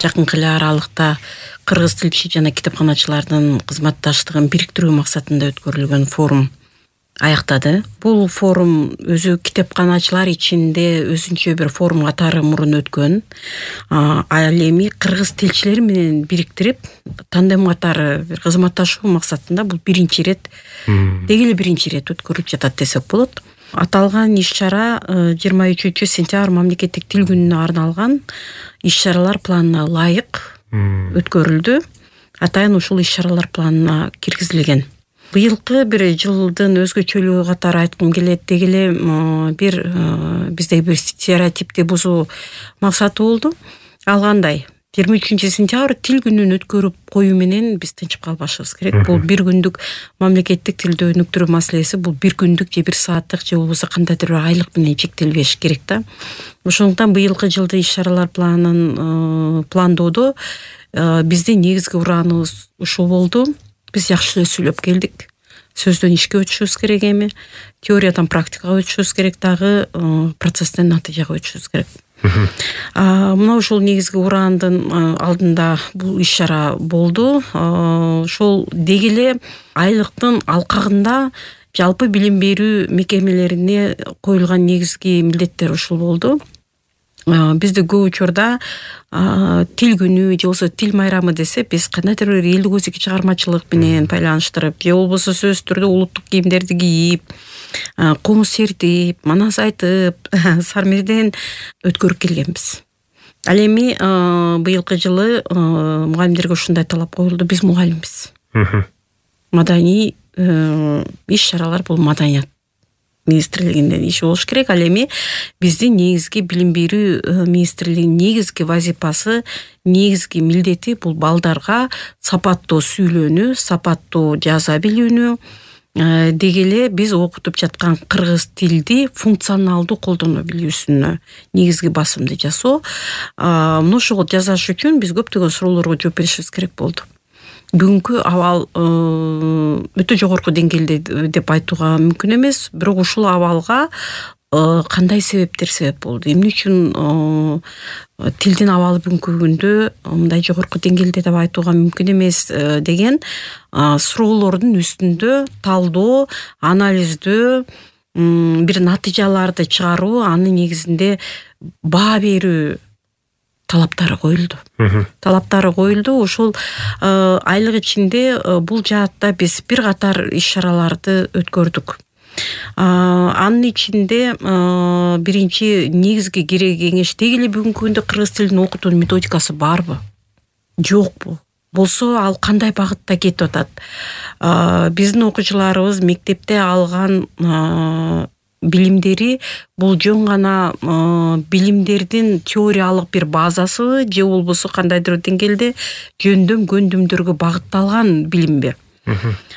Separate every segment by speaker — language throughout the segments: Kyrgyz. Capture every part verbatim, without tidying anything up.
Speaker 1: жакынкы эле аралыкта кыргыз тилчи жана китепканачылардын кызматташтыгын бириктирүү максатында өткөрүлгөн форум аяктады. Бул форум өзү китепканачылар ичинде өзүнчө бир форум катары мурун өткөн. Ал эми кыргыз тилчилери менен бириктирип, тандем катары бир кызматташуу максатында бул биринчи ирет, деги эле биринчи ирет өткөрүлүп жатат десек болот. Аталган иш-чара жыйырма үчүнчү сентябрь мамлекеттик тил күнүнө арналган иш-чаралар планына ылайык өткөрүлдү. Атайын ушул иш-чаралар планына киргизилген. Быйылкы бир жылдын өзгөчөлүгү катары айткым келет, деги эле бир бизде бир стереотипти бузуу максаты болду. Ал кандай? жыйырма үчүнчү сентябрь тил күнүн өткөрүп коюу менен биз тынчып калбашыбыз керек. Бул бир күндүк мамлекеттик тилди өнүктүрүү маселеси, бул бир күндүк же бир сааттык же болбосо кандайдыр бир айлык менен чектелбеш керек да. Ошондуктан быйылкы жылдын иш-чаралар планын пландоодо биздин негизги урааныбыз ушул болду. Биз жакшы эле сүйлөп келдик. Сөздөн ишке өтүшүбүз керек эми, теориядан практикага өтүшүбүз керек, дагы процесстен натыйжага өтүшүбүз керек. Мына ушул негизги ураандын алдында бул иш-чара болду. Ошол деги эле айлыктын алкагында жалпы билим берүү мекемелерине коюлган негизги милдеттер ушул болду. Бизде көп учурда тил күнү же болбосо тил майрамы десе, биз кандайдыр бир элдик өзүки чыгармачылык менен байланыштырып, же болбосо сөзсүз түрдө улуттук кийимдерди кийип, комуз сертип, манас айтып, сармерден өткөрүп келгенбиз. Ал эми быйылкы жылы мугалимдерге ушундай талап коюлду: биз мугалимбиз. Маданий иш-чаралар бул маданият министрлигинин иши болуш керек. Ал эми биздин негизги билим берүү министрлигинин негизги вазифасы, негизги милдети бул балдарга сапаттуу сүйлөөнү, сапаттуу жаза билүүнү, деги эле биз окутуп жаткан кыргыз тилди функционалдуу колдоно билүүсүнө негизги басымды жасоо. Мына ошого жасаш үчүн биз көптөгөн суроолорго жооп беришибиз керек болду. Бүгүнкү абал өтө жогорку деңгээлде деп айтууга мүмкүн эмес, бирок ушул абалга кандай себептер себеп болду? Эмне үчүн тилдин абалы бүгүнкү күндө мындай жогорку деңгээлде деп айтууга мүмкүн эмес деген суроолордун үстүндө талдоо, анализдөө, бир натыйжаларды чыгаруу, анын негизинде баа берүү талаптары коюлду. Талаптары коюлду. Ошол айлык ичинде бул жаатта биз бир катар иш-чараларды өткөрдүк. Анын ичинде биринчи негизги кеңеш, деги эле бүгүнкү күндө кыргыз тилин окутуунун методикасы барбы? Жокпу? Болсо ал кандай багытта кетип атат? Биздин окуучуларыбыз мектепте алган билимдери бул жөн гана билимдердин теориялык бир базасыбы, же болбосо кандайдыр деңгээлде жөндөм көндүмдөргө багытталган билимби?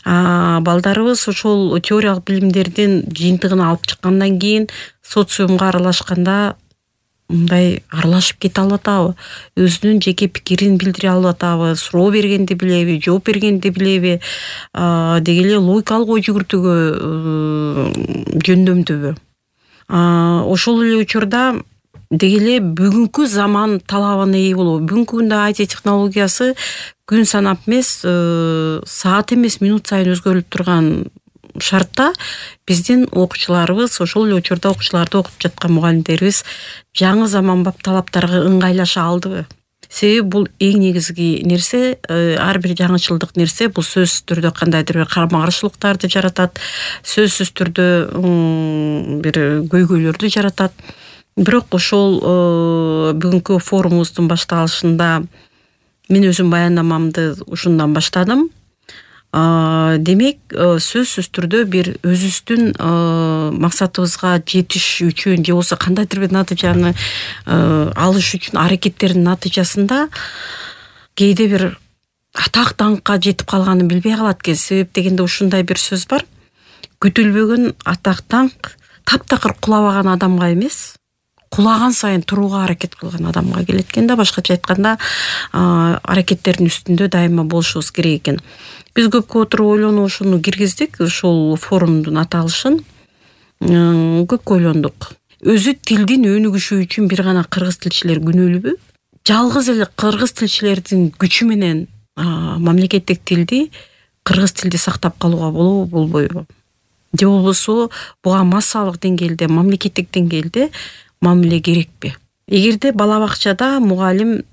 Speaker 1: Балдарыбыз ошол теориялык билимдердин жыйынтыгын алып чыккандан кийин социумга аралашканда мындай аралашып кете алып атабы? Өзүнүн жеке пикирин билдире алып атабы? Суроо бергенди билеби, жооп бергенди билеби? Деги эле логикалык ой жүгүртүүгө жөндөмдүүбү? Ошол эле учурда деги эле бүгүнкү заман талабына ээ болобу? Бүгүнкү күндө ай ти технологиясы күн санап эмес, саат эмес, минут сайын өзгөрүлүп турган шартта биздин окуучуларыбыз, ошол эле учурда окуучуларды окутуп жаткан мугалимдерибиз жаңы заманбап талаптарга ыңгайлаша алдыбы? Себеби бул эң негизги нерсе, ар бир жаңычылдык нерсе бул сөзсүз түрдө кандайдыр бир карама каршылыктарды жаратат, сөзсүз түрдө бир көйгөйлөрдү жаратат. Бирок ошол бүгүнкү форумубуздун башталышында мен өзүм баяндамамды ушундан баштадым. Демек, сөзсүз түрдө бир өзүбүздүн максатыбызга жетиш үчүн же болбосо кандайдыр бир натыйжаны алыш үчүн аракеттердин натыйжасында кээде бир атак даңкка жетип калганын билбей калат экен. Себеп дегенде ушундай бир сөз бар: күтүлбөгөн атак даңк таптакыр кулабаган адамга эмес, кулаган сайын турууга аракет кылган адамга келет экен да. Башкача айтканда, аракеттердин үстүндө дайыма болушубуз керек экен. Биз көпкө отуруп ойлонуп ушуну киргиздик, ушул форумдун аталышын көпкө ойлондук. Өзү тилдин өнүгүшү үчүн бир гана кыргыз тилчилер күнөөлүүбү? жалгыз эле кыргыз тилчилердин күчү менен мамлекеттик тилди, кыргыз тилди сактап калууга болобу, болбойбу? Же болбосо буга массалык деңгээлде, мамлекеттик деңгээлде мамиле керекпи? Эгерде бала бакчада мугалим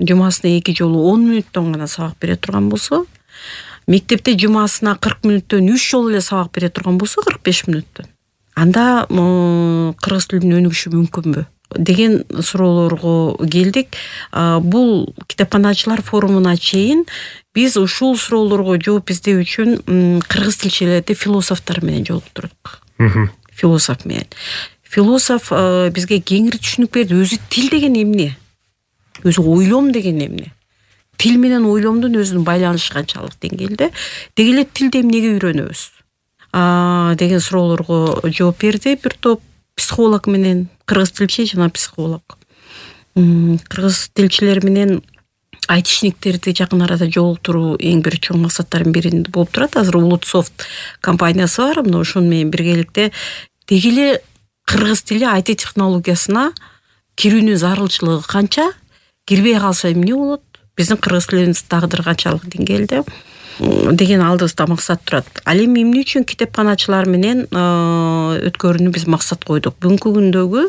Speaker 1: жумасына эки жолу он мүнөттөн гана сабак бере турган болсо, мектепте жумасына кырк мүнөттөн үч жолу эле сабак бере турган болсо, кырк беш мүнөттөн. Анда кыргыз тилинин өнүгүшү мүмкүнбү деген суроолорго келдик. Бул китепканачылар форумуна чейин биз ушул суроолорго жооп издөө үчүн кыргыз тилчилерди философтор менен жолуктурдук. Философ менен. Философ бизге кеңири түшүнүк берди. Өзү тил деген эмне? Өзү ойлом деген эмне? Тил менен ойломдун өзүнүн байланышы канчалык деңгээлде? Деги эле тилди эмнеге үйрөнөбүз? А деген суроолорго жооп берди бир топ психолог менен, кыргыз тилчи жана психолог. Кыргыз тилчилер менен айтишниктерди жакын арада жолуктуруу эң бир чоң максаттардын бири болуп турат. Азыр Улутсофт компаниясы бар, мына ошону менен биргеликте деги эле кыргыз тили ай ти технологиясына кирүүнүн зарылчылыгы канча, кирбей калса эмне болот? Биздин кыргыз тилинин тагдыры канчалык деңгээлде деген алдыбызда максат турат. Ал эми эмне үчүн китепканачылар менен өткөрүүнү биз максат койдук? Бүгүнкү күндөгү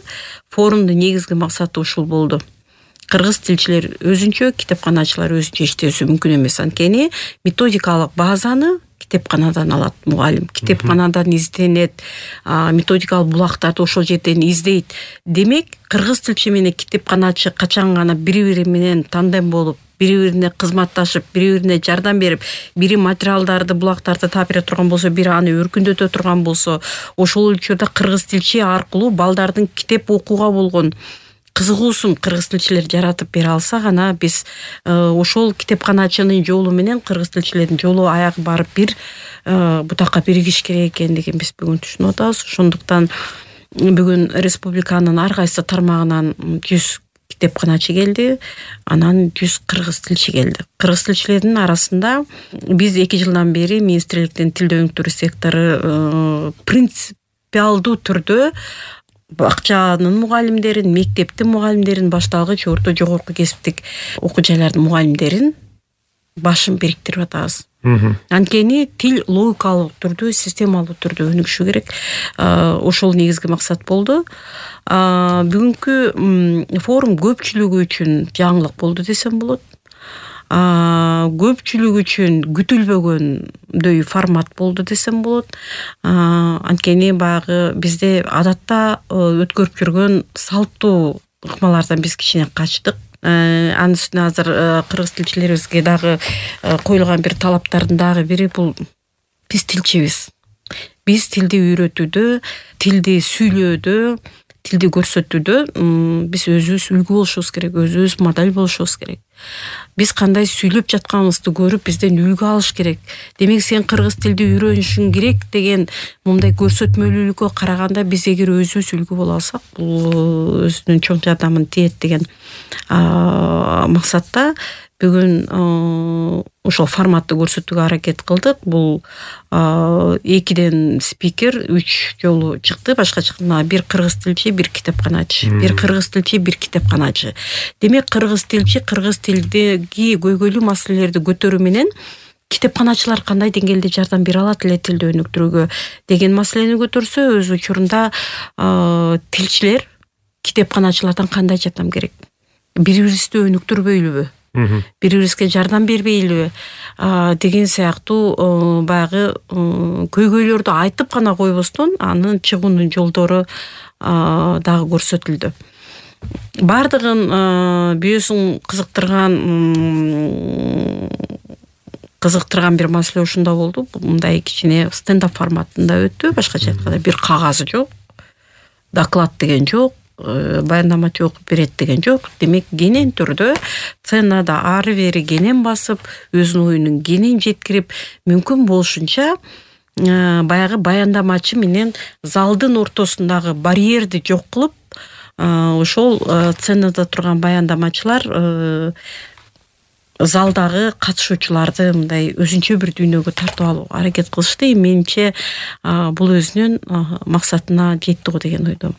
Speaker 1: форумдун негизги максаты ушул болду. Кыргыз тилчилер өзүнчө, китепканачылар өзүнчө иштөөсү мүмкүн эмес. Анткени методикалык базаны китепканадан алат мугалим. Китепканадан изденет, методикалык булактарды ошол жерден издейт. Демек, кыргыз тилчи менен китепканачы качан гана бири-бири менен тандем болуп, бири-бирине кызматташып, бири-бирине жардам берип, бири материалдарды, булактарды таап бере турган болсо, бири аны өркүндөтө турган болсо, ошол учурда кыргыз тилчи аркылуу балдардын китеп окууга болгон кызыгуусун кыргыз тилчилер жаратып бере алса гана биз ошол китепканачынын жолу менен кыргыз тилчилердин жолу аягы барып бир бутакка биригиш керек экендигин биз бүгүн түшүнүп атабыз. Ошондуктан бүгүн республиканын ар кайсы тармагынан жүз китепканачы келди, анан жүз кыргыз тилчи келди. Кыргыз тилчилердин арасында биз эки жылдан бери министрликтин тилди өнүктүрүү сектору принципиалдуу түрдө бакчанын мугалимдерин, мектептин мугалимдерин, башталгыч, орто, жогорку кесиптик окуу жайлардын мугалимдерин башын бириктирип атабыз. Анткени тил логикалык түрдө, системалуу түрдө өнүгүшү керек. Ошол негизги максат болду. Бүгүнкү форум көпчүлүгү үчүн жаңылык болду десем болот. Көпчүлүк үчүн күтүлбөгөндөй формат болду десем болот. Анткени баягы бизде адатта өткөрүп жүргөн салттуу ыкмалардан биз кичине качтык. Анын үстүнө азыр кыргыз тилчилерибизге дагы коюлган бир талаптардын дагы бири бул биз тилчибиз. Биз тилди үйрөтүүдө, тилди сүйлөөдө, тилди көрсөтүүдө биз өзүбүз үлгү болушубуз керек, өзүбүз модель болушубуз керек. Биз кандай сүйлөп жатканыбызды көрүп, бизден үлгү алыш керек. Демек, сен кыргыз тилди үйрөнүшүң керек деген мындай көрсөтмөлүүлүккө караганда биз эгер өзүбүз үлгү боло алсак, бул өзүнүн чоң жардамын тиет деген максатта бүгүн ошол форматты көрсөтүүгө аракет кылдык. Бул экиден спикер үч жолу чыкты, башка чыкканда бир кыргыз тилчи, бир китепканачы, бир кыргыз тилчи, бир китепканачы. Демек, кыргыз тилчи кыргыз тилдеги көйгөйлүү маселелерди көтөрүү менен китепканачылар кандай деңгээлде жардам бере алат эле тилди өнүктүрүүгө деген маселени көтөрсө, өз учурунда тилчилер китепканачылардан кандай жардам керек? Бири-бирибизди өнүктүрбөйлүбү? Бири-бирибизге жардам бербейлиби деген сыяктуу баягы көйгөйлөрдү айтып гана койбостон, анын чыгуунун жолдору дагы көрсөтүлдү. Бардыгын бүйөсүн кызыктырган кызыктырган бир маселе ушунда болду. Мындай кичине стендап форматында өттү. Башкача айтканда бир кагаз жок, доклад деген жок, баяндамачы окуп берет деген жок. Демек, кенен түрдө сценада ары бери кенен басып, өзүнүн оюнун кенен жеткирип, мүмкүн болушунча баягы баяндамачы менен залдын ортосундагы барьерди жок кылып, ошол сценада турган баяндамачылар залдагы катышуучуларды мындай өзүнчө бир дүйнөгө тартып алууга аракет кылышты. Менимче бул өзүнүн максатына жетти го деген ойдомун.